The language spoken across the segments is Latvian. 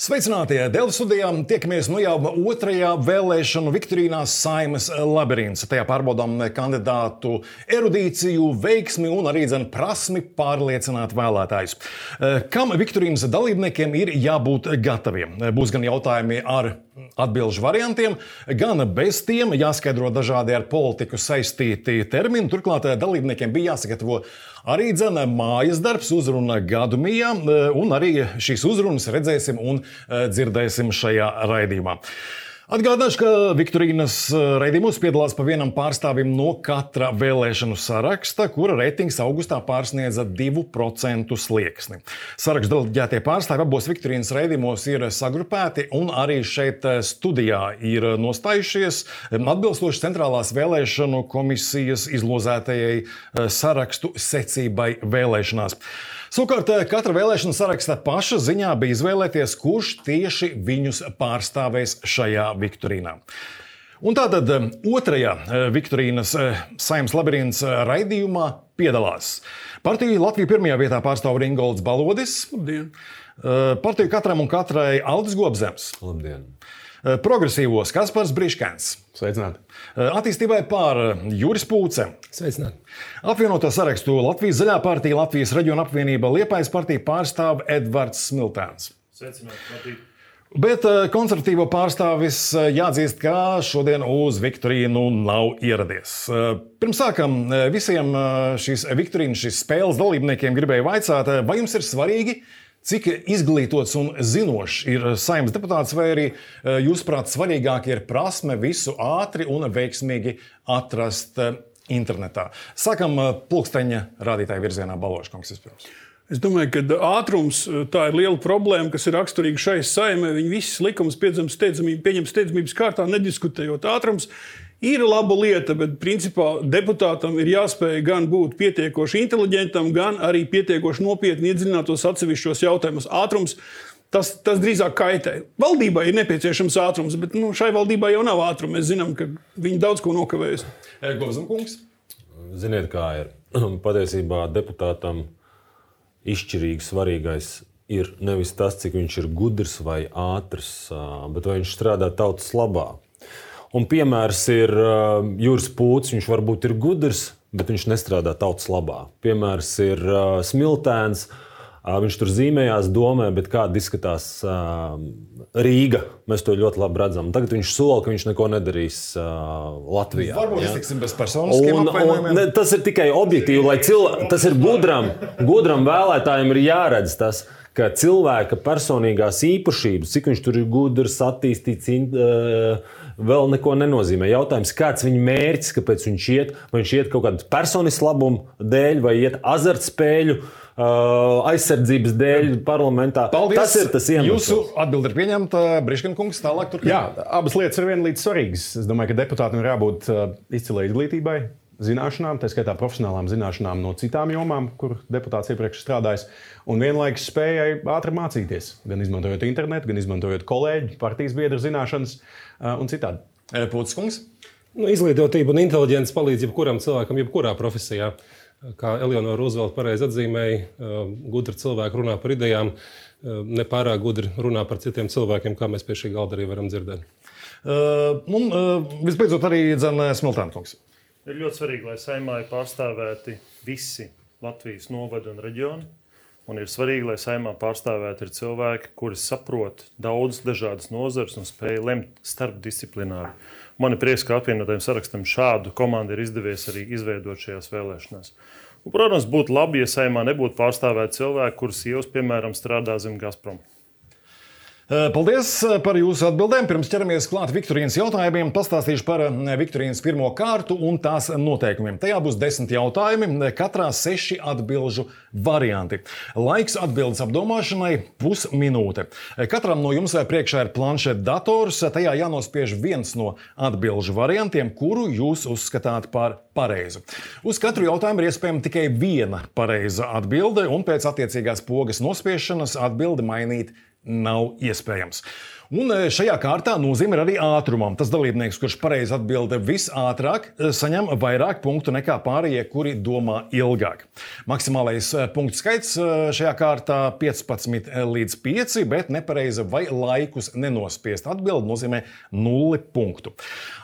Sveicināti! Delfi studijā tiekamies jau otrajā vēlēšanu viktorīnās Saeimas labirints. Tajā pārbaudām kandidātu erudīciju, veiksmi un arī prasmi pārliecināt vēlētājus. Kam viktorīnas dalībniekiem ir jābūt gataviem? Būs gan jautājumi ar atbilžu variantiem, gan bez tiem, jāskaidro dažādi ar politiku saistīti termini. Turklāt dalībniekiem bija jāsagatavo arī mājas darbs, uzruna gadu mijā, un arī šīs uzrunas redzēsim un dzirdēsim šajā raidījumā. Atgādināšu, ka viktorīnas raidījumos piedalās pa vienam pārstāvim no katra vēlēšanu saraksta, kura reitings augustā pārsniedza 2% slieksni. Sarakstu deleģētie pārstāvi abos viktorīnas raidījumos ir sagrupēti un arī šeit studijā ir nostājušies atbilstoši Centrālās vēlēšanu komisijas izlozētajai sarakstu secībai vēlēšanās. Savukārt, katra vēlēšana saraksta paša ziņā bija izvēlēties, kurš tieši viņus pārstāvēs šajā viktorīnā. Un tātad otrajā viktorīnas Saeimas labirints raidījumā piedalās partiju Latviju pirmajā vietā pārstāv Ringolds Balodis. Labdien! Partiju Katram un katrai Aldis Gobzems. Labdien! Progresīvos Kaspars Briškens. Sveicināti! Attīstībai pār Juris Pūce. Sveicināti! Apvienoto sarakstu Latvijas Zaļā partija, Latvijas reģiona apvienība Liepājas partija pārstāv Edvards Smiltēns. Sveicināti! Bet konservatīvo pārstāvis jāatzīst, ka šodien uz viktorīnu nav ieradies. Pirms sākam visiem šīs viktorīnas, šīs spēles dalībniekiem gribēju vaicāt, vai jums ir svarīgi, cik izglītots un zinošs ir Saeimas deputāts, vai arī jūsuprāt svarīgāk ir prasme visu ātri un veiksmīgi atrast internetā. Sākam pulksteņa rādītāju virzienā. Baloškungs vispirms. Es domāju, ka ātrums tā ir liela problēma, kas ir raksturīga šai Saeimai. Viņi visas likumus pieņem steidzamības kārtā, nediskutējot. Ātrums ir laba lieta, bet principā deputātam ir jāspēj gan būt pietiekoši inteliģentam, gan arī pietiekoši nopietni iedziļinātos atsevišķos jautājumus. Ātrums tas drīzāk kaitē. Valdībai ir nepieciešams ātrums, bet šai valdībai jau nav ātruma. Mēs zinām, ka viņi daudz ko nokavējas. Gobzemkungs? Ziniet, kā ir. Patiesībā deputātam izšķirīgi svarīgais ir nevis tas, cik viņš ir gudrs vai ātrs, bet vai viņš strādā tautas labā. Un piemērs ir Juris Pūce. Viņš varbūt ir gudrs, bet viņš nestrādā tautas labā. Piemērs ir Smiltēns. Viņš tur zīmējās domē, bet kāda izskatās Rīga. Mēs to ļoti labi redzam. Tagad viņš sola, ka viņš neko nedarīs Latvijā. Varbūt iztiksim bez personiskiem apvainojumiem. Tas ir tikai objektīvi, lai tas ir gudram vēlētājiem ir jāredz tas, ka cilvēka personīgās īpašības, cik viņš tur ir gudrs, attīstīts, vēl neko nenozīmē. Jautājums, kāds viņa mērķis, kāpēc viņš iet, vai viņš iet kaut kādu personisku labumu dēļ, vai iet azartspēļu aizsardzības dēļ parlamentā. Paldies. Tas ir tas iemesls. Jūsu atbilde ir pieņemta. Briškenkungs, tālāk turpināt. Jā, abas lietas ir vienlīdz svarīgas. Es domāju, ka deputātam ir jābūt izcilai izglītībai, zināšanām, tā skaitā profesionālām zināšanām no citām jomām, kur deputāts iepriekš strādājis, un vienlaikus spējai ātri mācīties, gan izmantojot internetu, gan izmantojot kolēģu, partijas biedru zināšanas un citādi. Pūckungs? Izglītotība un inteliģence palīdz jebkuram cilvēkam, jebkurā profesijā. Kā Eleonora Rūzvelta pareizi atzīmēja, gudri cilvēki runā par idejām, nepārāk gudri runā par citiem cilvēkiem, kā mēs pie šī galda arī varam dzirdēt. Visbeidzot arī Smiltēnkungs. Ir ļoti svarīgi, lai Saeimā ir pārstāvēti visi Latvijas novadi un reģioni. Un ir svarīgi, lai Saeimā pārstāvēti ir cilvēki, kuri saprot daudz dažādas nozares un spēj lemt starpdisciplināri. Man ir prieks, ka apvienotajam sarakstam šādu komandu ir izdevies arī izveidot šajās vēlēšanās. Un, protams, būtu labi, ja Saeimā nebūtu pārstāvēti cilvēki, kurus sievas, piemēram, strādā zem Gazprom. Paldies par jūsu atbildēm. Pirms ķeramies klāt viktorīnas jautājumiem, pastāstīšu par viktorīnas pirmo kārtu un tās noteikumiem. Tajā būs 10 jautājumi, katrā 6 atbilžu varianti. Laiks atbildes apdomāšanai pusminūte. Katram no jums priekšā ir planšeta dators, tajā jānospiež viens no atbilžu variantiem, kuru jūs uzskatāt par pareizu. Uz katru jautājumu ir iespējama tikai viena pareiza atbilde, un pēc attiecīgās pogas nospiešanas atbildi mainīt nav iespējams. Un šajā kārtā nozīme ir arī ātrumam. Tas dalībnieks, kurš pareizi atbild visātrāk, saņem vairāk punktu nekā pārējie, kuri domā ilgāk. Maksimālais punktu skaits šajā kārtā 15 līdz 5, bet nepareiza vai laikus nenospiest atbildi nozīmē 0 punktu.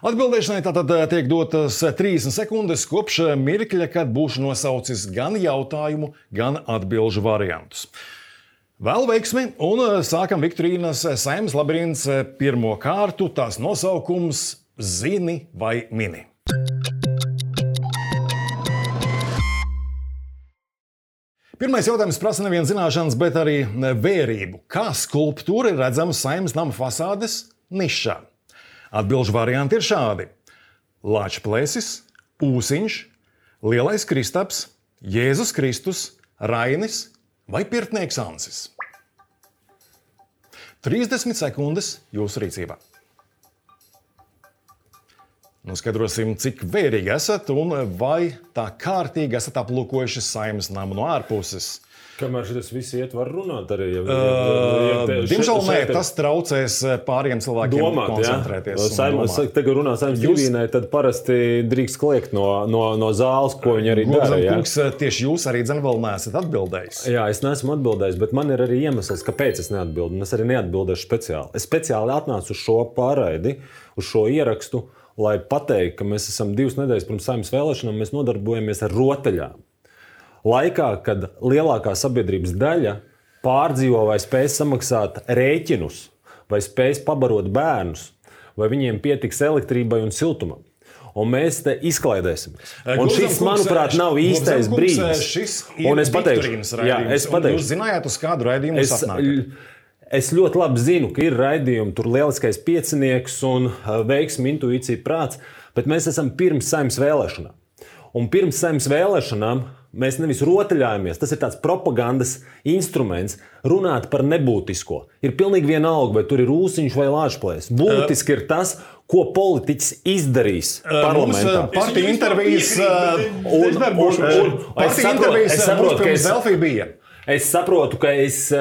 Atbildēšanai tātad tiek dotas 30 sekundes kopš mirkļa, kad būšu nosaucis gan jautājumu, gan atbilžu variantus. Vēl veiksmi, un sākam Viktorīnas Saeimas labirints pirmo kārtu. Tās nosaukums – Zini vai mini. Pirmais jautājums prasa nevien zināšanas, bet arī vērību. Kā skulptūra ir redzama Saeimas nama fasādes nišā? Atbilžu varianti ir šādi. Lāčplēsis, Ūsiņš, Lielais Kristaps, Jēzus Kristus, Rainis vai pirtnieks Ansis? 30 sekundes jūsu rīcībā. Skaidrosim, cik vērīgi esat un vai tā kārtīgi esat aplūkojuši Saeimas namu no ārpuses. Kamēr šis viss iet, var runāt arī. Diemžēl nē, tas traucēs pāriem cilvēkiem koncentrēties. Saeimas, tagad runā Saeimas divīnai, tad parasti drīkst kliegt no zāles, ko viņi arī dara. Kungs, tieši jūs arī vēl neesat atbildējis. Jā, es neesmu atbildējis, bet man ir arī iemesls, kāpēc es neatbildu. Es arī neatbildēšu speciāli. Es speciāli atnācu uz šo pārraidi, uz šo ierakstu, lai pateiktu, ka mēs esam 2 nedēļas pirms Saeimas vēlēšanām, mēs nodarbojamies ar rotaļām. Laikā, kad lielākā sabiedrības daļa pārdzīvo vai spēj samaksāt rēķinus, vai spēj pabarot bērnus, vai viņiem pietiks elektrībai un siltumam. Un mēs te izklaidēsimies. Un šis, manuprāt, nav īstais brīdis. Šis ir Viktorīnas raidījums. Jūs zinājāt, uz kādu raidījumu jūs atnākat? Es ļoti labi zinu, ka ir raidījumi, tur lieliskais piecinieks un veiksmi, intuīcija, prāts, bet mēs esam pirms Saeimas vēlēšanām. Un pirms Saeimas vēlēšanām mēs nevis rotaļājamies, tas ir tāds propagandas instruments, runāt par nebūtisko. Ir pilnīgi vienalga, vai tur ir Ūsiņš vai Lāčplēsis. Būtiski ir tas, ko politiķis izdarīs parlamentā. Partija intervijas pirms Delfī bija. Es saprotu, ka es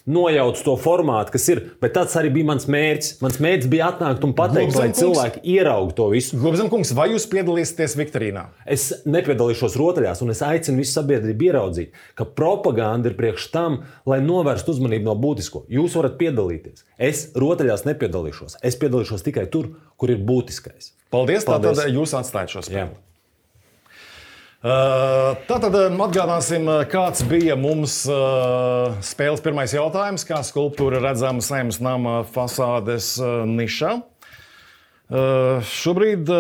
nojaucu to formātu, kas ir, bet tāds arī bija mans mērķis. Mans mērķis bija atnākt un pateikt, lai cilvēki ieraug to visu. Gobzem kungs, vai jūs piedalīsieties Viktorīnā? Es nepiedalīšos rotaļās, un es aicinu visu sabiedrību ieraudzīt, ka propaganda ir priekš tam, lai novērstu uzmanību no būtisko. Jūs varat piedalīties. Es rotaļās nepiedalīšos. Es piedalīšos tikai tur, kur ir būtiskais. Paldies. Tātad jūs atstājat šo spēli. Tātad atgādāsim, kāds bija mums spēles pirmais jautājums, kā skulptūra redzama Saeimas nama fasādes nišā. Šobrīd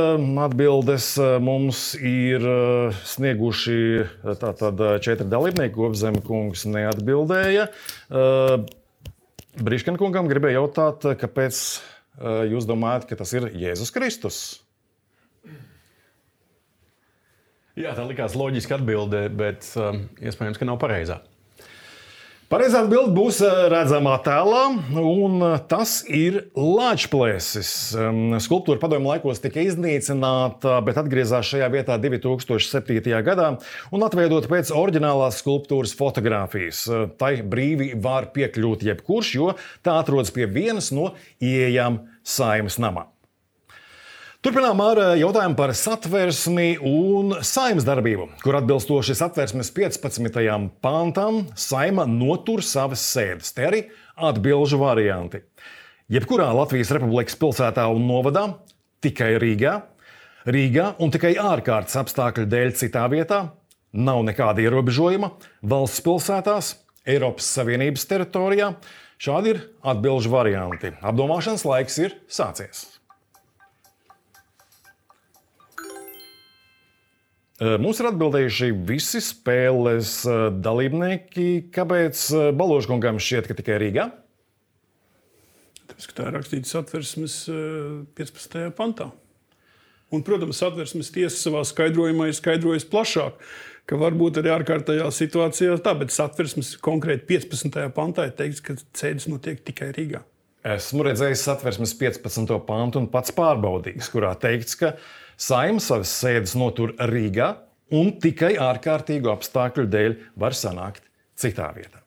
atbildes mums ir snieguši tātad 4 dalībnieki. Gobzem kungs neatbildēja. Briškena kungam gribēja jautāt, kāpēc jūs domājat, ka tas ir Jēzus Kristus? Jā, tā likās loģiska atbilde, bet iespējams, ka nav pareizā. Pareizā atbilde būs redzamā tēlā, un tas ir Lāčplēsis. Skulptūra padomju laikos tika iznīcināta, bet atgriezās šajā vietā 2007. gadā un atveidota pēc oriģinālās skulptūras fotogrāfijas. Tai brīvi var piekļūt jebkurš, jo tā atrodas pie vienas no ieejām Saeimas namā. Turpinām ar jautājumu par satversmi un Saeimas darbību, kur atbilstoši satversmes 15. pantam Saeima notur savas sēdes. Te arī atbilžu varianti. Jebkurā Latvijas Republikas pilsētā un novadā, tikai Rīgā un tikai ārkārtas apstākļu dēļ citā vietā, nav nekāda ierobežojuma, valsts pilsētās, Eiropas Savienības teritorijā. Šādi ir atbilžu varianti. Apdomāšanas laiks ir sācies. Mums ir atbildējuši visi spēles dalībnieki. Kāpēc Baložkungam šķiet, ka tikai Rīgā? Tāpēc, ka tā ir rakstīta satversmes 15. pantā. Un, protams, satversmes tiesa savā skaidrojumā ir skaidrojusi plašāk, ka varbūt arī ārkārtējā situācijā tā, bet satversmes konkrēti 15. pantā ir teikts, ka sēdes notiek tikai Rīgā. Esmu redzējis satversmes 15. pantu un pats pārbaudījis, kurā teikts, ka Saeima savas sēdes notur Rīgā un tikai ārkārtīgu apstākļu dēļ var sanākt citā vietā.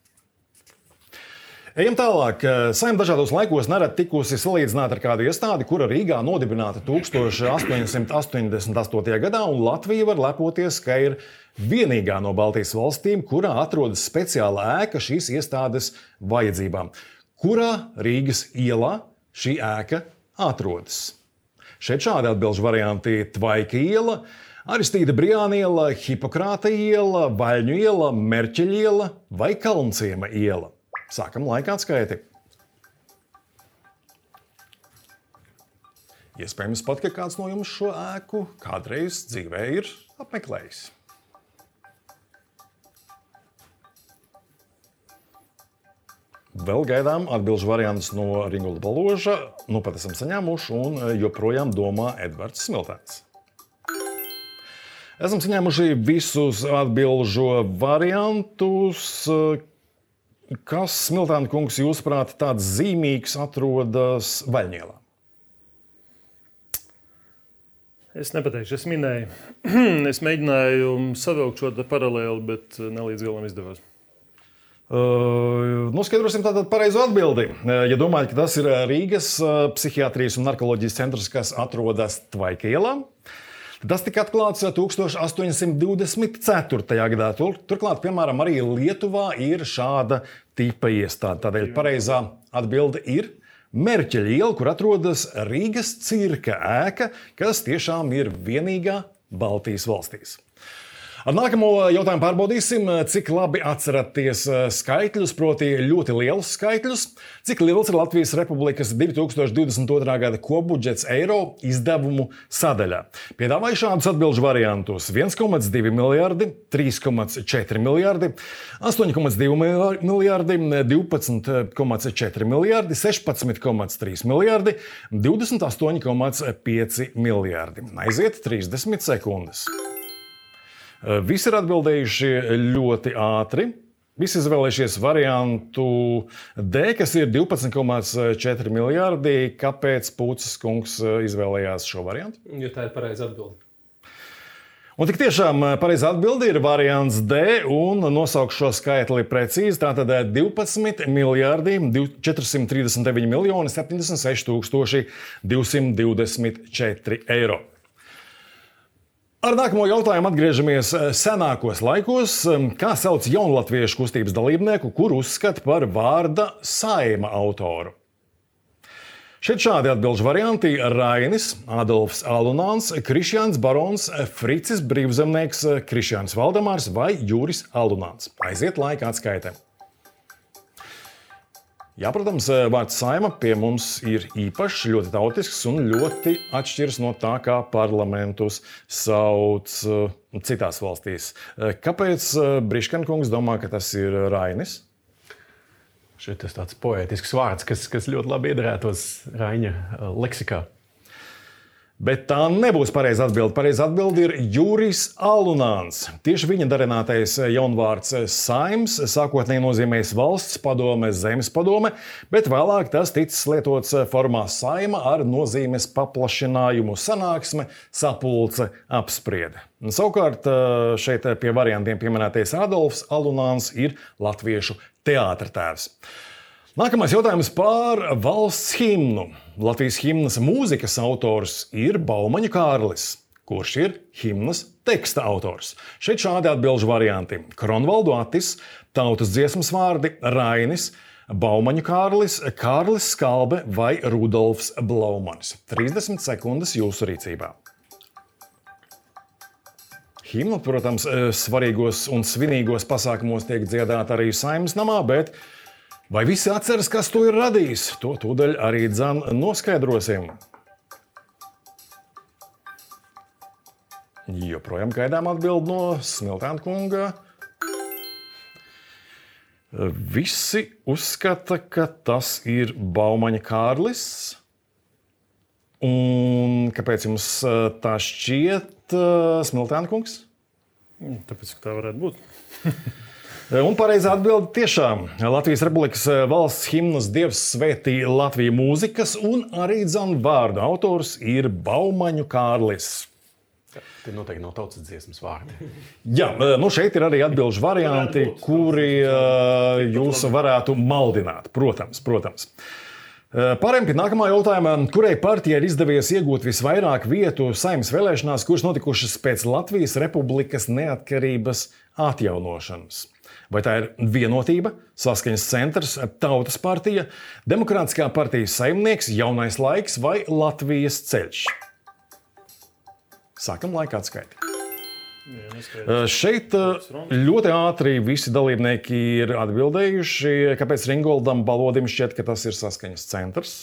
Ejam tālāk. Saeima dažādos laikos nerad tikusi salīdzināta ar kādu iestādi, kura Rīgā nodibināta 1888. gadā, un Latvija var lepoties, ka ir vienīgā no Baltijas valstīm, kurā atrodas speciāla ēka šīs iestādes vajadzībām. Kurā Rīgas ielā šī ēka atrodas? Šeit šādi atbilžu varianti: Tvaika iela, Aristīda Brijāna iela, Hipokrāta iela, Vaļņu iela, Merķeļa iela vai Kalnciema iela. Sākam laika atskaiti. Iespējams pat, ka kāds no jums šo ēku kādreiz dzīvē ir apmeklējis. Vēl gaidām atbilžu variantus no Ringulda Baloža. Nu pat esam saņēmuši un joprojām domā Edvards Smiltēns. Esam saņēmuši visus atbilžu variantus. Kas, Smiltēna kungs, jūsuprāt, tāds zīmīgs atrodas Vaļņielā? Es nepateikšu, es minēju. Es mēģināju savilkt šo paralēli, bet ne līdz galam izdevās. Noskaidrosim tātad pareizo atbildi. Ja domājat, ka tas ir Rīgas psihiatrijas un narkoloģijas centrs, kas atrodas Tvaika ielā, tas tika atklāts 1824. gadā. Turklāt, piemēram, arī Lietuvā ir šāda tipa iestāde. Tādēļ pareizā atbilde ir Merķeļa iela, kur atrodas Rīgas cirka ēka, kas tiešām ir vienīgā Baltijas valstīs. Ar nākamo jautājumu pārbaudīsim, cik labi atceraties skaitļus, proti ļoti lielus skaitļus. Cik liels ir Latvijas Republikas 2022. gada kopbudžets eiro izdevumu sadaļā? Piedāvāju šādus atbilžu variantus: 1,2 miljardi, 3,4 miljardi, 8,2 miljardi, 12,4 miljardi, 16,3 miljardi, 28,5 miljardi. Aiziet 30 sekundes. Visi ir atbildējuši ļoti ātri. Visi izvēlējušies variantu D, kas ir 12,4 miljardi. Kāpēc Pūces kungs izvēlējās šo variantu? Jo tā ir pareiza atbilde. Un tik tiešām pareizā atbilde ir variants D, un nosaukšu šo skaitli precīzi. Tātad 12 miljardi 439 miljoni 76 224 eiro. Ar nākamo jautājumu atgriežamies senākos laikos. Kā sauc jaunlatviešu kustības dalībnieku, kuru uzskata par vārda Saeima autoru? Šeit šādi atbilžu varianti: Rainis, Adolfs Alunāns, Krišjāns Barons, Fricis Brīvzemnieks, Krišjāns Valdemārs vai Juris Alunāns. Aiziet laika atskaitē. Jā, protams, vārds Saeima pie mums ir īpašs, ļoti tautisks un ļoti atšķiras no tā, kā parlamentus sauc citās valstīs. Kāpēc Briškankungs domā, ka tas ir Rainis? Šeit ir tāds poētisks vārds, kas ļoti labi iedarētos Raiņa leksikā. Bet tā nebūs pareiza atbilde. Pareiza atbilde ir Juris Alunāns. Tieši viņa darinātais jaunvārds Saims sākotnēji nozīmējis valsts padome, zemes padome, bet vēlāk tas ticis lietots formā Saima ar nozīmes paplašinājumu sanāksme, sapulce, apspriede. Un savukārt šeit pie variantiem pieminētais Adolfs Alunāns ir latviešu teātra tēvs. Nākamais jautājums par valsts himnu. Latvijas himnas mūzikas autors ir Baumaņu Kārlis, kurš ir himnas teksta autors. Šeit šādi atbilžu varianti: Kronvaldu Atis, tautas dziesmas vārdi Rainis, Baumaņu Kārlis, Kārlis Skalbe vai Rudolfs Blaumanis. 30 sekundes jūsu rīcībā. Himna, protams, svarīgos un svinīgos pasākumos tiek dziedāta arī Saeimas namā, bet vai visi atceras, kas to ir radījis? To tūdaļ arī dzan noskaidrosim. Joprojām gaidām atbildi no Smiltēna kunga. Visi uzskata, ka tas ir Baumaņa Kārlis. Un kāpēc jums tā šķiet, Smiltēna kungs? Tāpēc, ka tā varētu būt. Un pareizā atbilde tiešām Latvijas Republikas valsts himnas Dievs svētī Latviju mūzikas un arī dzan vārdu autors ir Baumaņu Kārlis. Tie noteikti nav tautas dziesmas vārdi. Jā, šeit ir arī atbilžu varianti, kuri jūs varētu maldināt. Protams. Pārējām pie nākamā jautājuma. Kurai partijai ir izdevies iegūt visvairāk vietu Saeimas vēlēšanās, kuras notikušas pēc Latvijas Republikas neatkarības atjaunošanas? Vai tā ir Vienotība, Saskaņas centrs, Tautas partija, Demokrātiskā partija Saimnieks, Jaunais laiks vai Latvijas ceļš? Sākam laika atskaiti. Šeit ļoti ātri visi dalībnieki ir atbildējuši, kāpēc Ringoldam Balodim šķiet, ka tas ir Saskaņas centrs.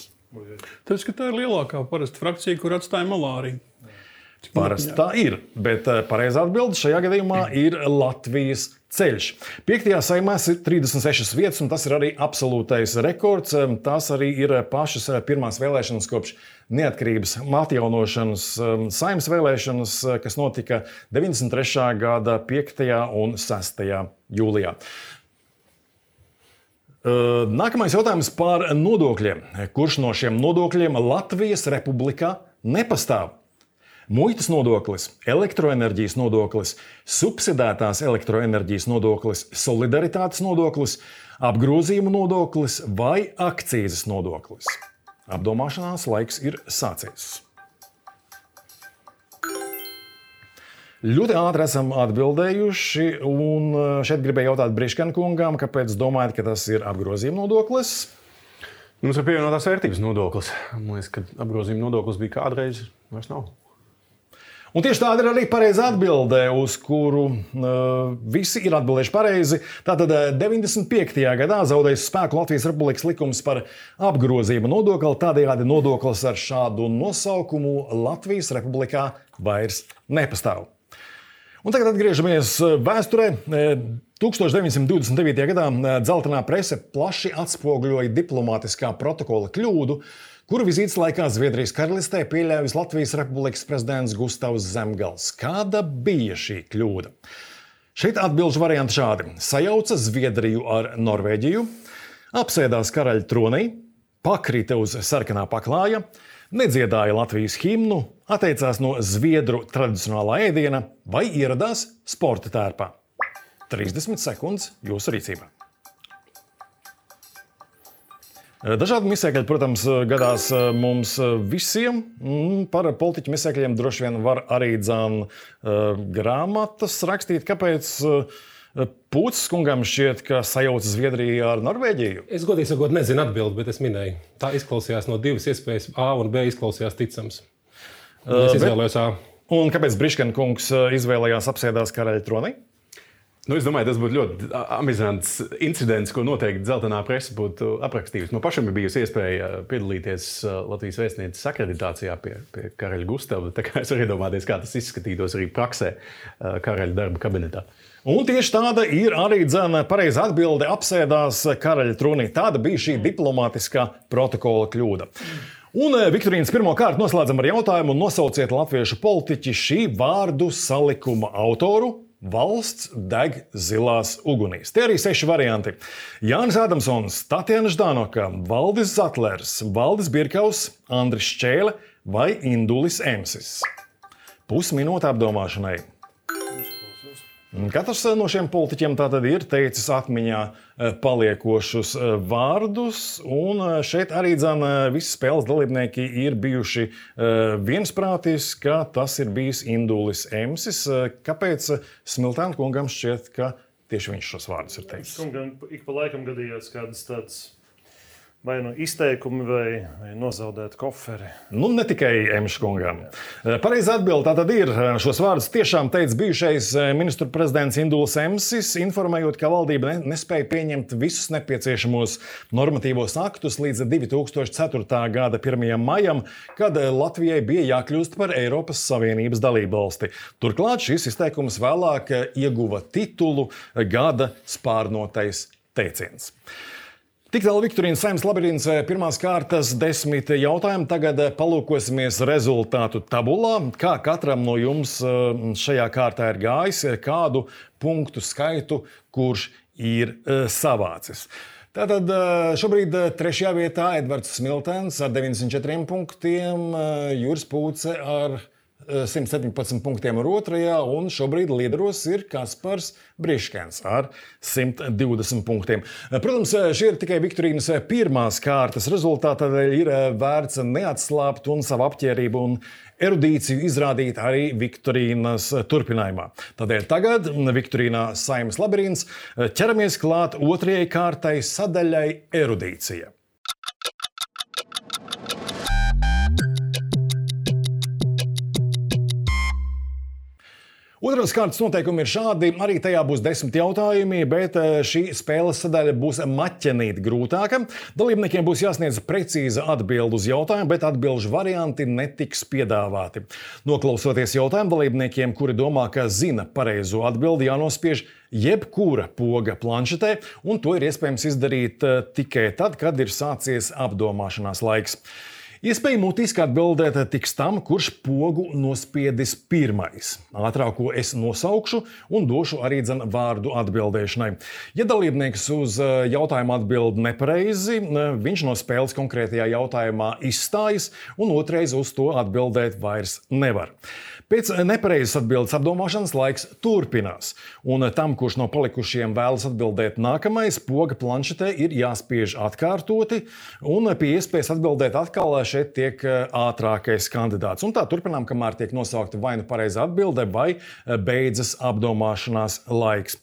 Tas, ka tā ir lielākā parasta frakcija, kur atstāja malā arī. Parasti tā ir, bet pareizā atbilde šajā gadījumā ir Latvijas ceļš. 5. Saeimā ir 36 vietas, un tas ir arī absolūtais rekords. Tās arī ir pašas pirmās vēlēšanas kopš neatkarības atjaunošanas Saeimas vēlēšanas, kas notika 93. gada 5. un 6. jūlijā. Nākamais jautājums par nodokļiem. Kurš no šiem nodokļiem Latvijas Republikā nepastāv? Muitas nodoklis, elektroenerģijas nodoklis, subsidētās elektroenerģijas nodoklis, solidaritātes nodoklis, apgrozījuma nodoklis vai akcīzes nodoklis. Apdomāšanās laiks ir sācies. Ļoti ātri esam atbildējuši, un šeit gribēju jautāt Briškana kungam, kāpēc domājat, ka tas ir apgrozījuma nodoklis? Mums ir pievienotās vērtības nodoklis. Man liekas, ka apgrozījuma nodoklis bija kādreiz, vairs nav. Un tieši tāda ir arī pareiza atbilde, uz kuru visi ir atbildējuši pareizi. Tātad 95. gadā zaudējis spēku Latvijas Republikas likums par apgrozījuma nodokli. Tādējādi nodoklis ar šādu nosaukumu Latvijas Republikā vairs nepastāv. Un tagad atgriežamies vēsturē. 1929. gadā dzeltenā prese plaši atspoguļoja diplomātiskā protokola kļūdu, kuru vizītes laikā Zviedrijas karalistē pieļāvis Latvijas Republikas prezidents Gustavs Zemgals. Kāda bija šī kļūda? Šeit atbilžu varianti šādi. Sajauca Zviedriju ar Norvēģiju, apsēdās karaļa tronī, pakrita uz sarkanā paklāja, nedziedāja Latvijas himnu, atteicās no zviedru tradicionālā ēdiena vai ieradās sporta tērpā. 30 sekundes jūsu rīcībā. Dažādi misēkļi, protams, gadās mums visiem. Par politiķu misēkļiem droši vien var arī grāmatas rakstīt. Kāpēc Pūces kungam šķiet, ka sajauca Zviedriju ar Norvēģiju? Es godīgi sakot nezinu atbildi, bet es minēju. Tā izklausījās no divas iespējas. A un B izklausījās ticams. Es izvēlējos A. Un kāpēc Briškana kungs izvēlējās apsēdās karaļa tronī? Es domāju, tas būtu ļoti amizants incidents, ko noteikti dzeltenā presa būtu aprakstījusi. Man pašam ir bijusi iespēja piedalīties Latvijas vēstnieces akreditācijā pie karaļa Gustava. Tā kā es varu iedomāties, kā tas izskatītos arī praksē karaļa darba kabinetā. Un tieši tāda ir arī pareiza atbilde apsēdās karaļa tronī. Tāda bija šī diplomātiskā protokola kļūda. Un Viktorīnas pirmo kārtu noslēdzam ar jautājumu: nosauciet latviešu politiķi šī vārdu salikuma autoru. Valsts deg zilās ugunīs. Tie arī 6 varianti. Jānis Ādamsons, Tatjana Ždanoka, Valdis Zatlers, Valdis Birkaus, Andris Šķēle vai Indulis Emsis. Pusminūte apdomāšanai. Katrs no šiem politiķiem tātad ir teicis atmiņā paliekošus vārdus, un šeit arī visi spēles dalībnieki ir bijuši viensprātis, ka tas ir bijis Indulis Emsis. Kāpēc Smiltēna kungam šķiet, ka tieši viņš šos vārdus ir teicis? Kungam ik pa laikam gadījās kādas tādas vai nu izteikumi, vai nozaudēt koferi. Nu, ne tikai Emša kungam. Pareizā atbilde tātad ir. Šos vārdus tiešām teica bijušais ministru prezidents Indulis Emsis, informējot, ka valdība nespēja pieņemt visus nepieciešamos normatīvos aktus līdz 2004. gada 1. maijam, kad Latvijai bija jākļūst par Eiropas Savienības dalībvalsti. Turklāt šis izteikums vēlāk ieguva titulu Gada spārnotais teiciens. Tik tālu Viktorīnas Saeimas labirints pirmās kārtas 10 jautājumi. Tagad palūkosimies rezultātu tabulā. Kā katram no jums šajā kārtā ir gājis, kādu punktu skaitu, kurš ir savācis. Tātad šobrīd 3. vietā Edvards Smiltēns ar 94 punktiem, Juris Pūce ar 117 punktiem ar otrajā, un šobrīd līderos ir Kaspars Briškens ar 120 punktiem. Protams, šie ir tikai viktorīnas pirmās kārtas rezultāti, tādēļ ir vērts neatslābt un savu apķērību un erudīciju izrādīt arī viktorīnas turpinājumā. Tādēļ tagad viktorīnā Saeimas labirints ķeramies klāt otrajai kārtai sadaļai erudīcija. Otrās kārtas noteikumi ir šādi. Arī tajā būs 10 jautājumi, bet šī spēles sadaļa būs maķenīt grūtāka. Dalībniekiem būs jāsniedz precīza atbilde uz jautājumu, bet atbilžu varianti netiks piedāvāti. Noklausoties jautājumu, dalībniekiem, kuri domā, ka zina pareizo atbildi, jānospiež jebkura poga planšetē, un to ir iespējams izdarīt tikai tad, kad ir sācies apdomāšanās laiks. Iespēja mutiski atbildēt tiks tam, kurš pogu nospiedis pirmais. Ātrāko es nosaukšu un došu arī vārdu atbildēšanai. Ja dalībnieks uz jautājumu atbild nepareizi, viņš no spēles konkrētajā jautājumā izstājas un otrais uz to atbildēt vairs nevar. Pēc nepareizas atbildes apdomāšanas laiks turpinās, un tam, kurš no palikušiem vēlas atbildēt nākamais, poga planšetē ir jāspiež atkārtoti, un pie iespējas atbildēt atkal šeit tiek ātrākais kandidāts. Un tā turpinām, kamēr tiek nosaukta vai nu pareiza atbilde, vai beidzas apdomāšanās laiks.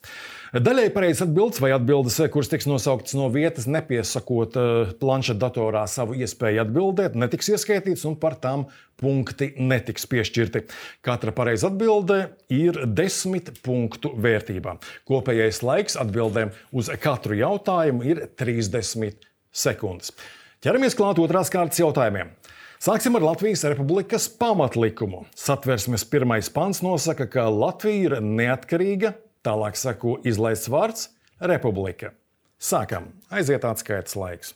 Daļai pareizas atbildes vai atbildes, kuras tiks nosauktas no vietas, nepiesakot planšetdatorā savu iespēju atbildēt, netiks ieskaitīts un par tām punkti netiks piešķirti. Katra pareiza atbilde ir 10 punktu vērtībā. Kopējais laiks atbildēm uz katru jautājumu ir 30 sekundes. Ķeramies klāt otrās kārtas jautājumiem. Sāksim ar Latvijas Republikas pamatlikumu. Satversmes 1. pants nosaka, ka Latvija ir neatkarīga. Tālāk sako izlaists vārds – republika. Sākam. Aiziet atskaites laiks.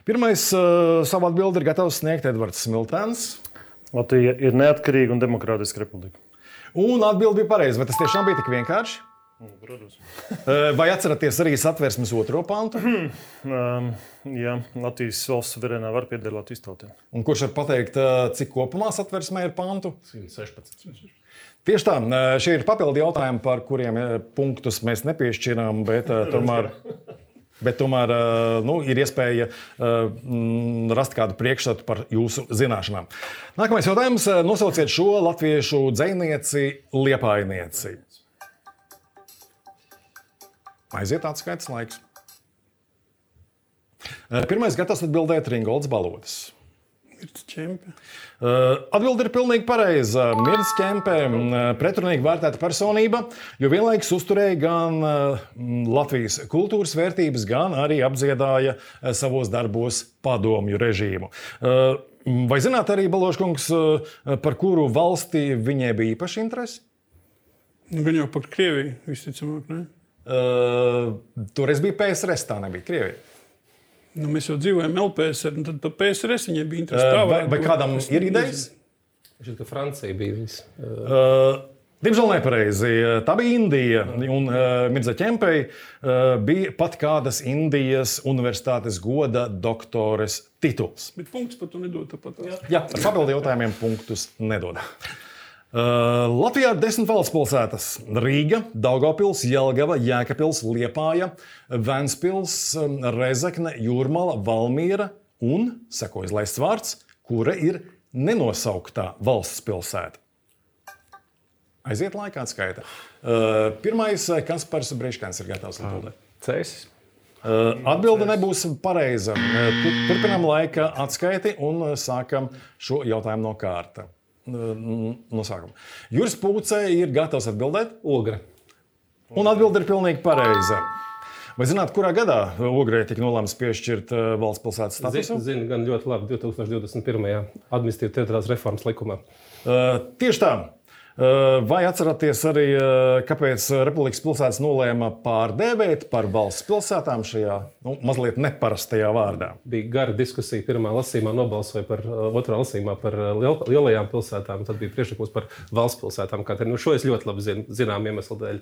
Pirmais savu atbildi ir gatavs sniegt Edvards Smiltēns. Latvija ir neatkarīga un demokrātiska republika. Un atbildi bija pareiza. Vai tas tiešām bija tik vienkārši? Protams. Vai atceraties arī Satversmes 2. pantu? Jā, Latvijas valsts suverēnā var pieder Latvijas tautiem. Un kurš var pateikt, cik kopumā Satversmē ir pantu? 116. Tieši tā, šie ir papildi jautājumi, par kuriem punktus mēs nepiešķirām, bet tomēr ir iespēja rast kādu priekšstatu par jūsu zināšanām. Nākamais jautājums. Nosauciet šo latviešu dzejnieci, liepainieci. Aiziet atskaites laiks. Pirmais gatavs atbildēt Ringolds Balodis. Atbilde ir pilnīgi pareiza. Mirds Kempe, pretrunīgi vērtēta personība, jo vienlaikus uzturēja gan Latvijas kultūras vērtības, gan arī apdziedāja savos darbos padomju režīmu. Vai zināt arī, Baloškungs, par kuru valsti viņai bija īpaši interesi? Gan jau par Krieviju, visticamāk, ne? Toreiz bija PSRS, tā nebija Krievija. Mēs jau dzīvojam LPSR, un tad par PSRS viņai bija interesi. Vai kādam ir idejas? Šķiet, ka Francija bija viņas. Diemžēl nepareizi. Tā bija Indija, un Mirdza Kempei bija pat kādas Indijas universitātes goda doktores tituls. Bet punktus par to nedod tāpat. Jā, ar papildu jautājumiem punktus nedod. Latvijā ir 10 valsts pilsētas – Rīga, Daugavpils, Jelgava, Jēkabpils, Liepāja, Ventspils, Rezekne, Jūrmala, Valmiera un, seko izlaists vārds, kura ir nenosauktā valsts pilsēta. Aiziet laikā atskaita. Pirmais, Kaspars Briškens ir gatavs atbildēt. Cēsis. Atbilde nebūs pareiza. Turpinām laika atskaiti un sākam šo jautājumu no kārta. No sākuma. Juris Pūce ir gatavs atbildēt? Ogra. Un atbilde ir pilnīgi pareiza. Vai zināt, kurā gadā Ogrei tika nolēmts piešķirt valsts pilsētas statusu? Zinu gan ļoti labi 2021. administratīvas teritoriālās reformas likumā. Tieši tā. Vai atceraties arī, kāpēc Republikas pilsētas nolēma pārdēvēt par valsts pilsētām šajā mazliet neparastajā vārdā? Bija gara diskusija. Pirmā lasījumā nobalsoja par otrā lasījumā par lielajām pilsētām. Tad bija priekšlikums par valsts pilsētām. Šo es ļoti labi zinām iemeslu dēļ.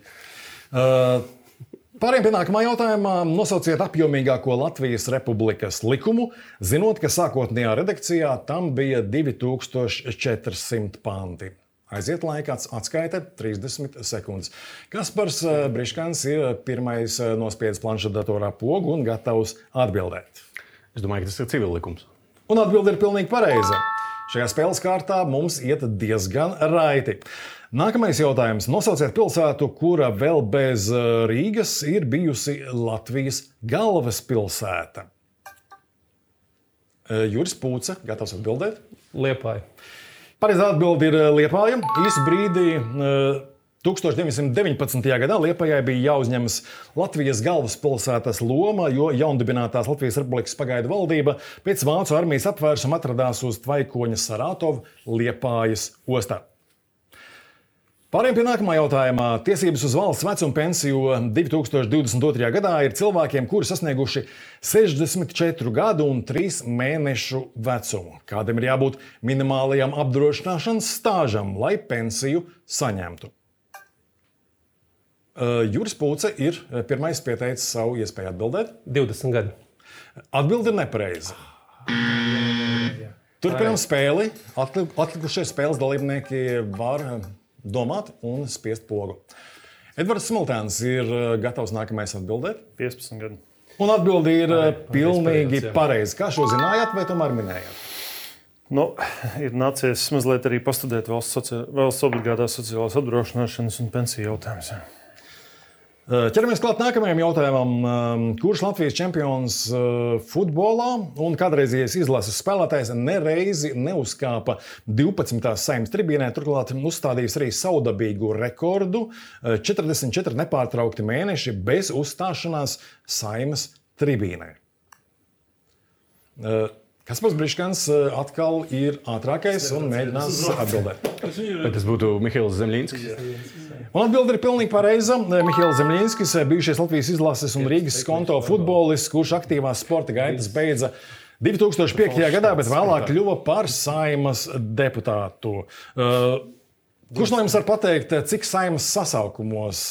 Pārējiem pie nākamā jautājumā. Nosauciet apjomīgāko Latvijas Republikas likumu, zinot, ka sākotnējā redakcijā tam bija 2400 panti. Aiziet laikā, atskaite 30 sekundes. Kaspars Briškans ir pirmais nospiedis planšetdatorā pogu un gatavs atbildēt. Es domāju, ka tas ir civillikums. Un atbilde ir pilnīgi pareiza. Šajā spēles kārtā mums iet diezgan raiti. Nākamais jautājums. Nosauciet pilsētu, kura vēl bez Rīgas ir bijusi Latvijas galvaspilsēta. Juris Pūce, gatavs atbildēt? Liepāja. Pareizā atbilde ir Liepāja. Īsu brīdī 1919. gadā Liepājai bija jāuzņemas Latvijas galvaspilsētas loma, jo jaundibinātās Latvijas Republikas pagaidu valdība pēc vācu armijas apvērsuma atradās uz Tvaikoņa Saratovu Liepājas ostā. Pārējiem pie nākamā jautājumā. Tiesības uz valsts vecuma pensiju 2022. gadā ir cilvēkiem, kuri sasnieguši 64 gadu un 3 mēnešu vecumu. Kādam ir jābūt minimālajam apdrošināšanas stāžam, lai pensiju saņemtu? Juris Pūce ir pirmais pieteicis savu iespēju atbildēt. 20 gadi. Atbilde ir nepareiza. Turpinām spēli. Atlikušie spēles dalībnieki var domāt un spiest pogu. Edvards Smiltēns ir gatavs nākamais atbildēt. 15 gadu. Un atbildi ir pilnīgi pareizi. Kā šo zinājāt vai tomēr minējāt? Ir nācies mazliet arī pastudēt valsts obligātās sociālās apdrošināšanas un pensiju jautājumus. Ķeramies klāt nākamajam jautājumam. Kurš Latvijas čempions futbolā un kādreizējais izlases spēlētājs nereizi neuzkāpa 12. Saeimas tribīnē, turklāt uzstādījis arī savdabīgu rekordu 44 nepārtraukti mēneši bez uzstāšanās Saeimas tribīnē? Kaspars Briškans atkal ir ātrākais un mēģinās atbildēt. Vai tas būtu Mihails Zemļinskis? Un atbilde ir pilnīgi pareiza. Mihails Zemļinskis, bijušais Latvijas izlases un Rīgas Skonto futbolists, kurš aktīvās sporta gaitas beidza 2005. gadā, bet vēlāk kļuva par Saeimas deputātu. Kurš no jums var pateikt, cik Saeimas sasaukumos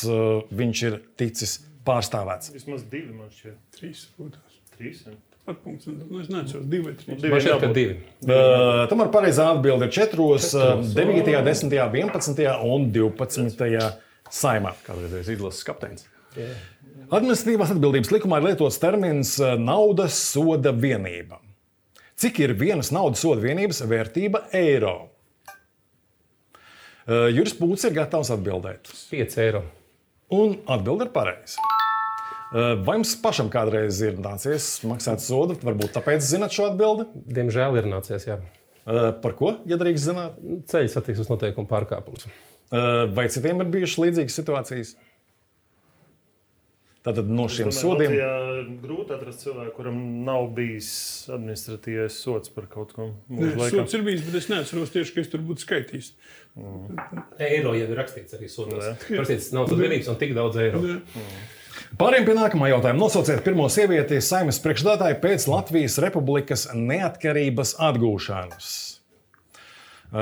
viņš ir ticis pārstāvēts? Vismaz 2, man šķiet. 3 būtās. 3? Es nezinu, 2 vai 3. Man šķiet, ka 2. Tomēr pareizā atbilde ir 4, 9, 10, 11 un 12 Saeimā. Kādreiz izlases kapteinis. Administratīvās atbildības likumā ir lietots termins naudas soda vienība. Cik ir vienas naudas soda vienības vērtība eiro? Juris Pūce ir gatavs atbildēt. 5 eiro. Un atbilde ir pareiza. Vai jums pašam kādreiz ir nācies maksāt sodu? Varbūt tāpēc zināt šo atbildi? Diemžēl ir nācies, jā. Par ko, ja drīkst zināt? Ceļu satiksmes noteikumu pārkāpums. Vai citiem ir bijušas līdzīgas situācijas? Tātad no šiem sodiem... Grūti atrast cilvēku, kuram nav bijis administratīvais sods par kaut ko mūžu laikā. Sods ir bijis, bet es neatceros tieši, ka es tur būtu skaitījis. Eiro jau ir rakstīts arī sodos. Rakstīts nav tad vienības un tik daudz eiro. Pāriem pie nākamā jautājuma. Nosauciet pirmo sievieti Saeimas priekšsēdētāju pēc Latvijas Republikas neatkarības atgūšanas.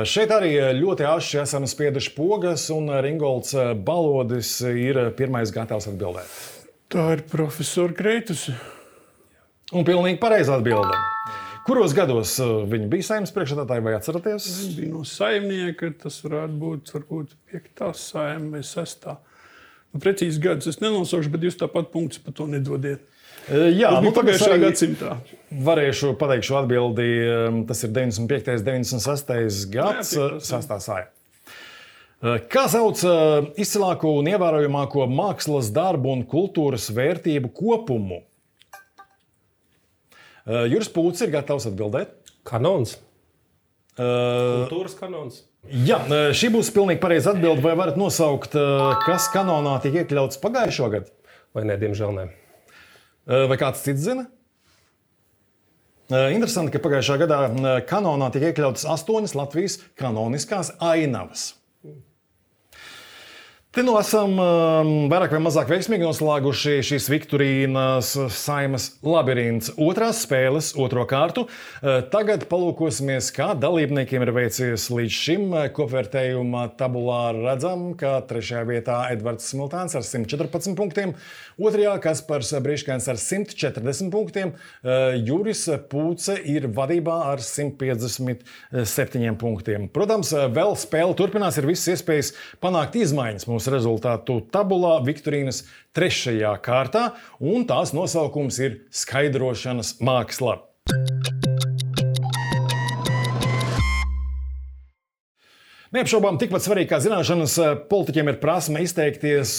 Šeit arī ļoti āši esam spieduši pogas, un Ringolds Balodis ir pirmais gatavs atbildēt. Tā ir profesora Kreitus. Un pilnīgi pareiza atbilde. Kuros gados viņi bija Saeimas priekšsēdētāji, vai atceraties? Viņi bija no saimnieka, tas varētu būt varbūt 5. Saeima vai 6. Precīzi gadus es nenosaukšu, bet jūs tāpat punktus par to nedodiet. Jā, pagājušā gadsimtā. Varēšu pateikt šo atbildi. Tas ir 95. 96. gads, 6. Saeima. Kā sauc izcilāko un ievērojamāko mākslas darbu un kultūras vērtību kopumu? Juris Pūce ir gatavs atbildēt. Kanons. Kultūras kanons. Jā, šī būs pilnīgi pareiza atbilde. Vai varat nosaukt, kas kanonā tika iekļauts pagājušo gadu? Vai ne, diemžēl ne. Vai kāds cits zina? Interesanti, ka pagājušā gadā kanonā tika iekļautas 8 Latvijas kanoniskās ainavas. Te nu esam vairāk vai mazāk veiksmīgi noslēguši šīs Viktorīnas Saeimas labirints otrās spēles, otro kārtu. Tagad palūkosimies, kā dalībniekiem ir veicies līdz šim. Kopvērtējuma tabulā redzam, ka 3. vietā Edvards Smiltāns ar 114 punktiem, 2. Kaspars Briškēns ar 140 punktiem, Juris Pūce ir vadībā ar 157 punktiem. Protams, vēl spēle turpinās, ir visas iespējas panākt izmaiņas mūsu rezultātu tabulā Viktorīnas 3. kārtā, un tās nosaukums ir skaidrošanas māksla. Neapšaubām tikpat svarīgi kā zināšanas, politiķiem ir prasme izteikties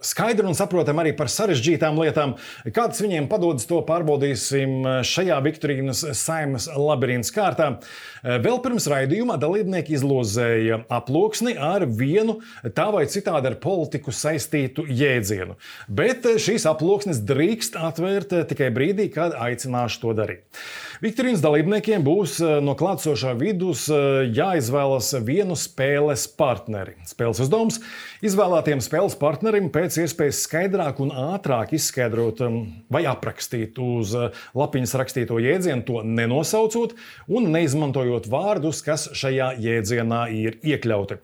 skaidri un saprotam arī par sarežģītām lietām. Kādas viņiem padodas, to pārbaudīsim šajā Viktorīnas Saeimas labirints kārtā. Vēl pirms raidījumā dalībnieki izlozēja aploksni ar vienu tā vai citādi ar politiku saistītu jēdzienu. Bet šīs aploksnes drīkst atvērt tikai brīdī, kad aicināšu to darīt. Viktorīnas dalībniekiem būs no klātsošā vidus jāizvēlas vienu spēles partneri. Spēles uzdevums – izvēlētiem spēles partnerim pēc iespējas skaidrāk un ātrāk izskaidrot vai aprakstīt uz lapiņas rakstīto jēdzienu, to nenosaucot un neizmantojot vārdus, kas šajā jēdzienā ir iekļauti.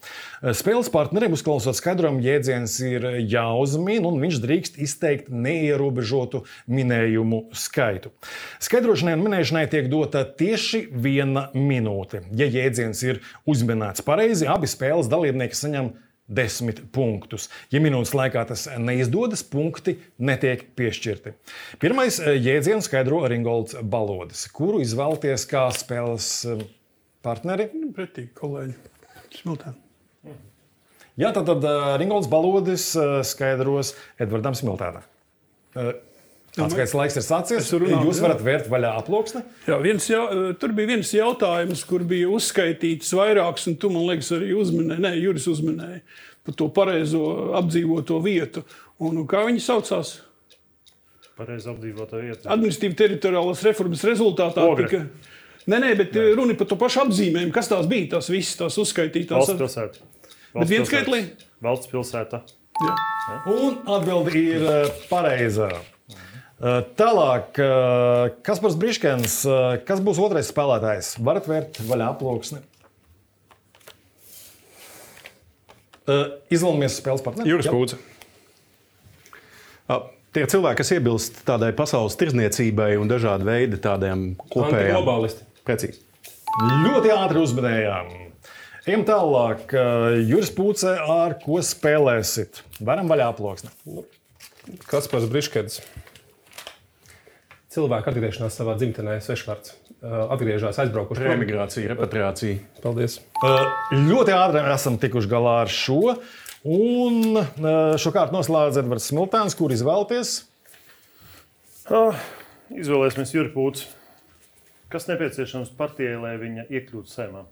Spēles partnerim uzklausot skaidrojumu jēdziens ir jāuzmin, un viņš drīkst izteikt neierobežotu minējumu skaitu. Skaidrošanai un minēšanai tiek dota tieši 1 minūte. Ja jēdziens ir uzminēts pareizi, abi spēles dalībnieki saņem 10 punktus. Ja minūtes laikā tas neizdodas, punkti netiek piešķirti. Pirmais jēdzienu skaidro Ringolds Balodis, kuru izvēlties kā spēles partneri. Pretīgi kolēģi Smiltāni. Jā, tad Ringolds Balodis skaidros Edvardam Smiltānam. Atskaits laiks ir sācies. Jūs varat vērt vaļā aploksni? Jā, tur bija viens jautājums, kur bija uzskaitīts vairāks, un tu, man liekas, arī uzminēji, Juris uzminēja par to pareizo apdzīvoto vietu. Un kā viņi saucās? Pareizi apdzīvotā vieta. Administratīva teritoriālās reformas rezultātā tika... Nē, bet runa par to pašu apzīmējumu. Kas tās bija, tās visas tās uzskaitītās? Valsts pilsēta. Bet viens skaitlī? Valsts pilsēta. Jā. Un atbildi ir pareizā. Tālāk, Kaspars Briškēns, kas būs otrais spēlētājs? Varat vērt vaļā aploksni. Izvēlamies spēles partneri. Juris Pūce. Tie cilvēki, kas iebilst tādai pasaules tirdzniecībai un dažādi veidi tādiem kopējām. Antiglobālisti. Precīzi. Ļoti ātri uzminējām. Ejam tālāk. Juris Pūce, ar ko spēlēsit? Varam vaļā aploksni. Kaspars Briškēns. Cilvēku atgriešanās savā dzimtenē, svešvārds. Atgriežās, aizbraukuši. Emigrācija, repatriācija. Paldies. Ļoti ātri esam tikuši galā ar šo. Un šo kārtu noslēdz Edvards Smiltāns, kur izvēlties? Izvēlēsimies Juri Pūci. Kas nepieciešams partijai, lai viņa iekļūtu Saeimā?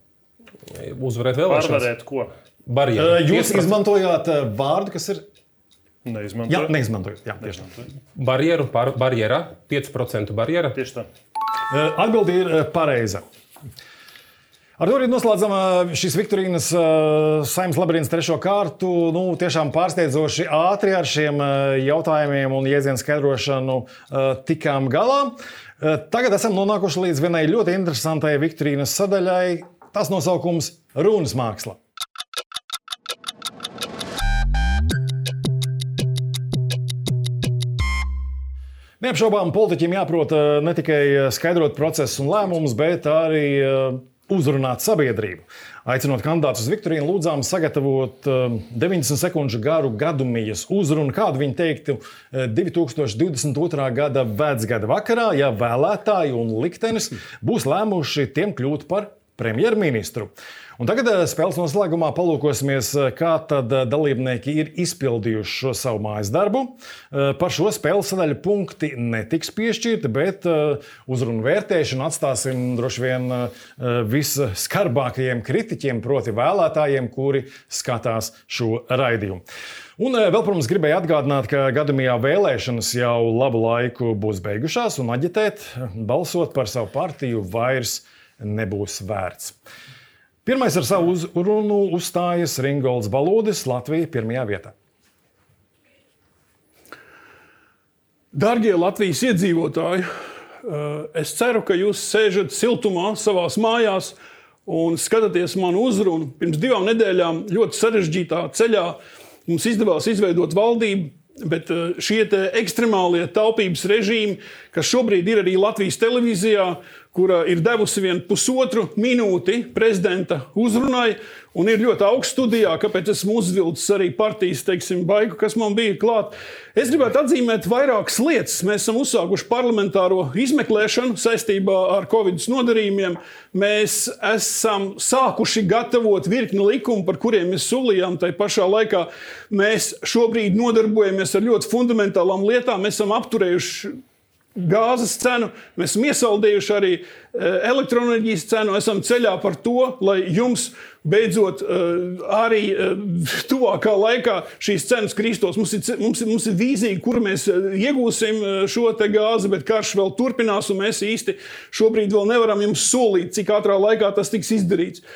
Uzvarēt vēlēšanas. Pārvarēt ko? Barjeru. Jūs izmantojāt vārdu, kas ir... Neizmantojot. Jā, neizmantojot. Jā, tieši tā. Barjera, 5% barjera. Tieši tā. Atbildi ir pareiza. Ar to arī noslēdzam šīs Viktorīnas Saeimas labirints 3. kārtu. Tiešām pārsteidzoši ātri ar šiem jautājumiem un jēdzienu skaidrošanu tikām galā. Tagad esam nonākuši līdz vienai ļoti interesantai Viktorīnas sadaļai. Tas nosaukums runas māksla. Neapšaubām politiķiem jāprot ne tikai skaidrot procesus un lēmumus, bet arī uzrunāt sabiedrību. Aicinot kandidātus uz Viktorīnu, lūdzām sagatavot 90 sekundžu garu gadumijas uzrunu, kādu viņi teiktu 2022. gada vecgada vakarā, ja vēlētāji un liktenis būs lēmuši tiem kļūt par premjerministru. Un tagad spēles noslēgumā palūkosimies, kā tad dalībnieki ir izpildījuši šo savu mājas darbu. Par šo spēles sadaļu punkti netiks piešķirti, bet uzrunu vērtēšanu atstāsim droši vien visskarbākajiem kritiķiem, proti vēlētājiem, kuri skatās šo raidījumu. Un vēl, protams, gribēju atgādināt, ka gadamijā vēlēšanas jau labu laiku būs beigušās un aģitēt, balsot par savu partiju vairs nebūs vērts. Pirmais ar savu uzrunu uzstājas Ringolds Balodis, Latvija 1. vietā. Darbie Latvijas iedzīvotāji, es ceru, ka jūs sēžat siltumā savās mājās un skatāties manu uzrunu. Pirms 2 nedēļām ļoti sarežģītā ceļā mums izdevās izveidot valdību, bet šie ekstremālie taupības režīmi, kas šobrīd ir arī Latvijas televīzijā, kura ir devusi vien 1,5 minūti prezidenta uzrunai un ir ļoti augsts studijā, kāpēc esmu uzvilcis arī partijas, baigu, kas man bija klāt. Es gribētu atzīmēt vairākas lietas. Mēs esam uzsākuši parlamentāro izmeklēšanu saistībā ar Covid nodarījumiem. Mēs esam sākuši gatavot virkni likumu, par kuriem mēs solījām. Tai pašā laikā mēs šobrīd nodarbojamies ar ļoti fundamentālām lietām. Mēs esam apturējuši gāzes cenu, mēs esam iesaldējuši arī elektroenerģijas cenu, esam ceļā par to, lai jums beidzot arī tuvākā laikā šīs cenas kristos. Mums ir vīzija, kur mēs iegūsim šo te gāzi, bet karš vēl turpinās, un mēs īsti šobrīd vēl nevaram jums solīt, cik ātrā laikā tas tiks izdarīts.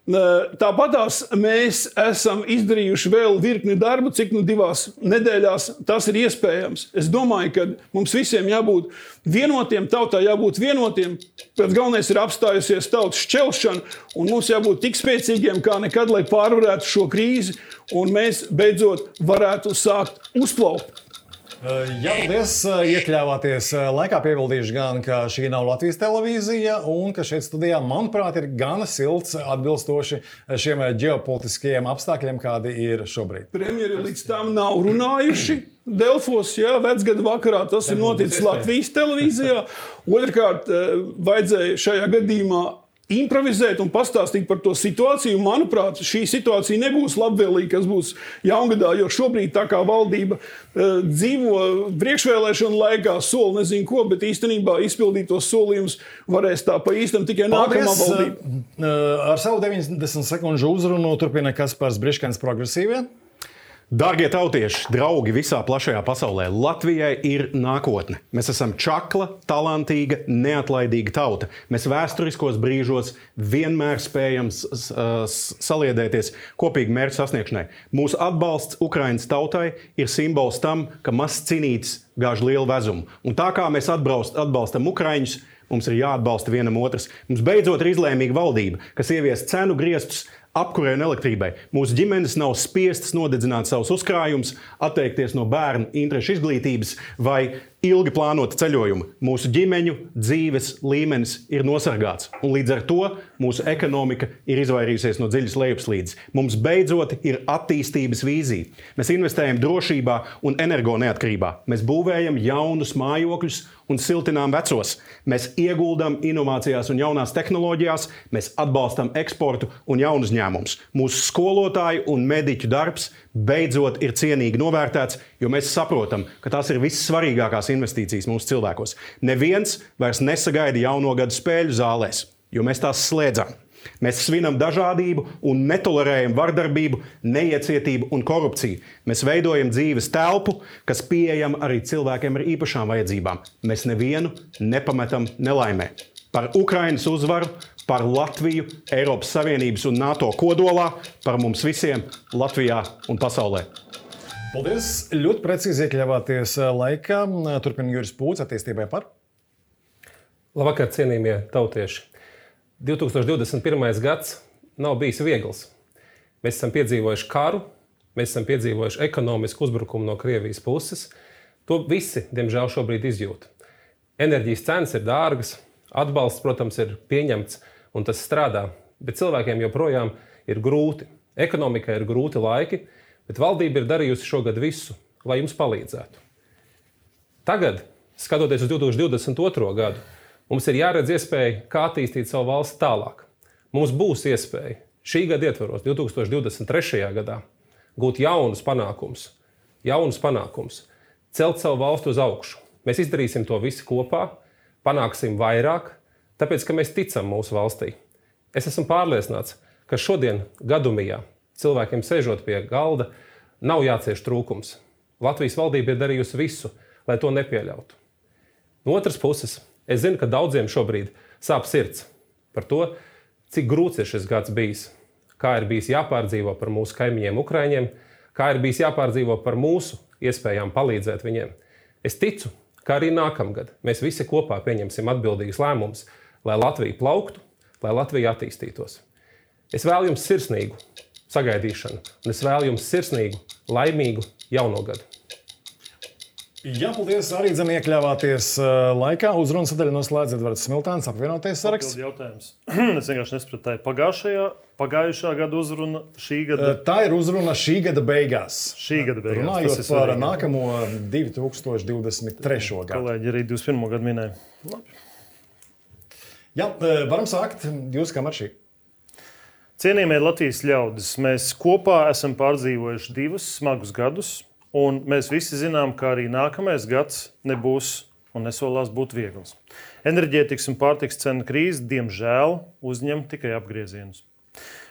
Tāpatās mēs esam izdarījuši vēl virkni darbu, cik 2 nedēļās tas ir iespējams. Es domāju, ka mums visiem jābūt vienotiem, tautā jābūt vienotiem. Pēc galvenais ir apstājusies tautas šķelšana, un mums jābūt tik spēcīgiem kā nekad, lai pārvarētu šo krīzi, un mēs beidzot varētu sākt uzplaukt. Jā, paldies, iekļāvāties laikā. Piebildīšu gan, ka šī nav Latvijas televīzija un ka šeit studijā, manuprāt, ir gana silts atbilstoši šiem ģeopolitiskajiem apstākļiem, kādi ir šobrīd. Premjeri līdz tam nav runājuši. Delfos, vecgada vakarā tas ir noticis Latvijas televīzijā. Otrkārt, vajadzēja šajā gadījumā improvizēt un pastāstīt par to situāciju. Manuprāt, šī situācija nebūs labvēlīga, kas būs jaungadā, jo šobrīd tā kā valdība dzīvo priekšvēlēšanu laikā, sola nezinu ko, bet īstenībā izpildītos solījumus varēs tā pa īstam tikai nākamā valdība. Ar savu 90 sekundžu uzrunu turpina Kaspars Briškens, Progresīvie. Dārgie tautieši, draugi visā plašajā pasaulē, Latvijai ir nākotne. Mēs esam čakla, talantīga, neatlaidīga tauta. Mēs vēsturiskos brīžos vienmēr spējam saliedēties kopīgi mērķu sasniegšanai. Mūsu atbalsts Ukrainas tautai ir simbols tam, ka mazs cinītis gāž lielu vezumu. Un tā kā mēs atbalstam Ukraiņus, mums ir jāatbalsta vienam otrs. Mums beidzot ir izlēmīga valdība, kas ievies cenu griestus apkurei un elektrībai. Mūsu ģimenes nav spiestas nodedzināt savus uzkrājumus, atteikties no bērnu interešu izglītības vai ilgi plānota ceļojuma. Mūsu ģimeņu dzīves līmenis ir nosargāts, un līdz ar to mūsu ekonomika ir izvairījusies no dziļas lejupslīdes. Mums beidzot ir attīstības vīzija. Mēs investējam drošībā un energo neatkarībā. Mēs būvējam jaunus mājokļus un siltinām vecos. Mēs ieguldam inovācijās un jaunās tehnoloģijās, mēs atbalstam eksportu un jaunu uzņēmumus. Mūsu skolotāju un mediķu darbs beidzot ir cienīgi novērtēts, jo mēs saprotam, ka tās ir vissvarīgākās investīcijas mūsu cilvēkos. Neviens vairs nesagaida jauno gadu spēļu zālēs, jo mēs tās slēdzam. Mēs svinam dažādību un netolerējam vardarbību, neiecietību un korupciju. Mēs veidojam dzīves telpu, kas pieejama arī cilvēkiem ar īpašām vajadzībām. Mēs nevienu nepametam nelaimē. Par Ukrainas uzvaru, par Latviju, Eiropas Savienības un NATO kodolā, par mums visiem Latvijā un pasaulē. Paldies! Ļoti precīzi iekļāvāties laikā. Turpina Juris Pūts, attīstībai par. Labvakar, cienījamie tautieši! 2021. gads nav bijis viegls. Mēs esam piedzīvojuši karu, mēs esam piedzīvojuši ekonomisku uzbrukumu no Krievijas puses. To visi, diemžēl, šobrīd izjūt. Enerģijas cenas ir dārgas, atbalsts, protams, ir pieņemts un tas strādā, bet cilvēkiem joprojām ir grūti. Ekonomikai ir grūti laiki, bet valdība ir darījusi šogad visu, lai jums palīdzētu. Tagad, skatoties uz 2022. gadu, mums ir jāredz iespēja, kā attīstīt savu valsti tālāk. Mums būs iespēja šī gada ietvaros, 2023. gadā, gūt jaunus panākumus, celt savu valsti uz augšu. Mēs izdarīsim to visi kopā, panāksim vairāk, tāpēc, ka mēs ticam mūsu valstī. Es esmu pārliecināts, ka šodien gadumijā cilvēkiem sēžot pie galda nav jācieš trūkums. Latvijas valdība ir darījusi visu, lai to nepieļautu. No otras puses, es zinu, ka daudziem šobrīd sāp sirds par to, cik grūts ir šis gads bijis, kā ir bijis jāpārdzīvo par mūsu kaimiņiem Ukraiņiem, kā ir bijis jāpārdzīvo par mūsu iespējām palīdzēt viņiem. Es ticu, ka arī nākamgad mēs visi kopā pieņemsim atbildīgus lēmumus, lai Latvija plauktu, lai Latvija attīstītos. Es vēlu jums sirsnīgu sagaidīšanu, un es vēlu jums sirsnīgu, laimīgu jauno gadu. Jā, paldies. Arī iekļāvāties laikā. Uzrunas sadaļa noslēdz Edvards Smiltāns, apvienotais saraksts. Jautājums. Es vienkārši nesapratu, pagājušā gada uzruna, šī gada. Tā ir uzruna šī gada beigās. Šī gada beigās. Runājot par nākamo 2023. gadu. Kolēģi arī 21. gadu minēja. Labi. Jā, varam sākt. Jūs kā maršī? Cienījamie Latvijas ļaudis, mēs kopā esam pārdzīvojuši 2 smagus gadus. Un mēs visi zinām, ka arī nākamais gads nebūs un nesolās būt viegls. Enerģētikas un pārtikas cenu krīze, diemžēl, uzņem tikai apgriezienus.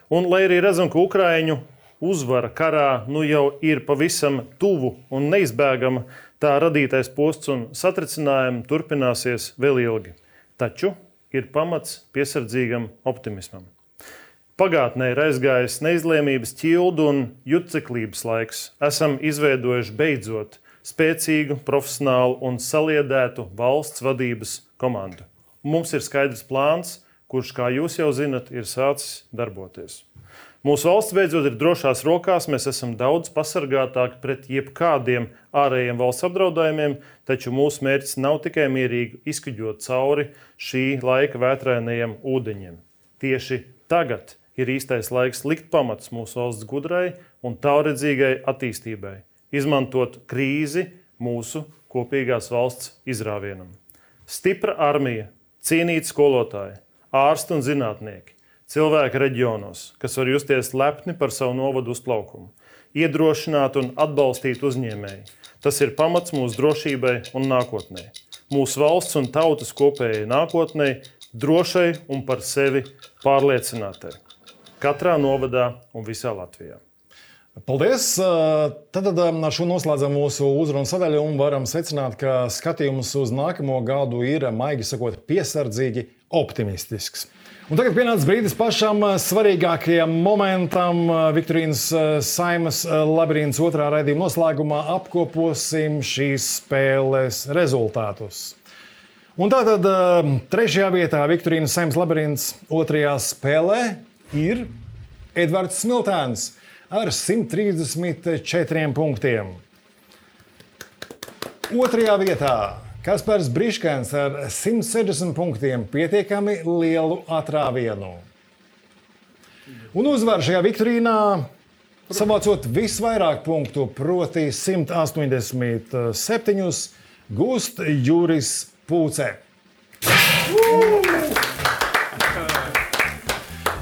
Un, lai arī redzam, ka Ukraiņu uzvara karā jau ir pavisam tuvu un neizbēgama, tā radītais posts un satricinājumi turpināsies vēl ilgi. Taču ir pamats piesardzīgam optimismam. Pagātnē ir aizgājis neizlēmības ķildu un juceklības laiks. Esam izveidojuši beidzot spēcīgu, profesionālu un saliedētu valsts vadības komandu. Mums ir skaidrs plāns, kurš, kā jūs jau zinat, ir sācis darboties. Mūsu valsts beidzot ir drošās rokās, mēs esam daudz pasargātāki pret jebkādiem ārējiem valsts apdraudējumiem, taču mūsu mērķis nav tikai mierīgi izkuģot cauri šī laika vētrainajiem ūdeņiem. Tieši tagad ir īstais laiks likt pamats mūsu valsts gudrai un tālredzīgai attīstībai, izmantot krīzi mūsu kopīgās valsts izrāvienam. Stipra armija, cienīti skolotāji, ārsti un zinātnieki, cilvēki reģionos, kas var justies lepni par savu novadu uzplaukumu, iedrošināt un atbalstīt uzņēmēji. Tas ir pamats mūsu drošībai un nākotnē. Mūsu valsts un tautas kopējai nākotnē, drošai un par sevi pārliecinātai. Katrā novadā un visā Latvijā. Paldies! Tad ar šo noslēdzam mūsu uzrunu sadaļu un varam secināt, ka skatījums uz nākamo gadu ir, maigi sakot, piesardzīgi optimistisks. Un tagad pienācis brīdis pašam svarīgākajam momentam. Viktorīnas Saeimas labirints 2. raidījuma noslēgumā apkoposim šīs spēles rezultātus. Un tātad 3. vietā Viktorīnas Saeimas labirints 2. spēlē ir Edvards Smiltāns ar 134 punktiem. 2. vietā Kaspars Briškens ar 160 punktiem, pietiekami lielu atrāvienu. Un uzvar šajā Viktorīnā, savācot visvairāk punktu, proti 187, gūst Juris Pūce.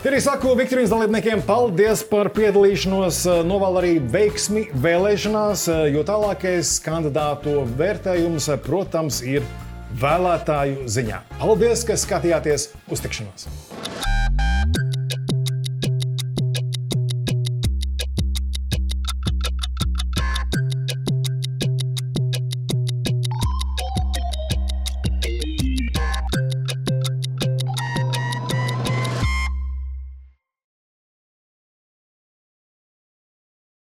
Arī saku Viktorīnas dalībniekiem paldies par piedalīšanos, novēlu arī veiksmi vēlēšanās, jo tālākais kandidātu vērtējums, protams, ir vēlētāju ziņā. Paldies, ka skatījāties, uz tikšanos!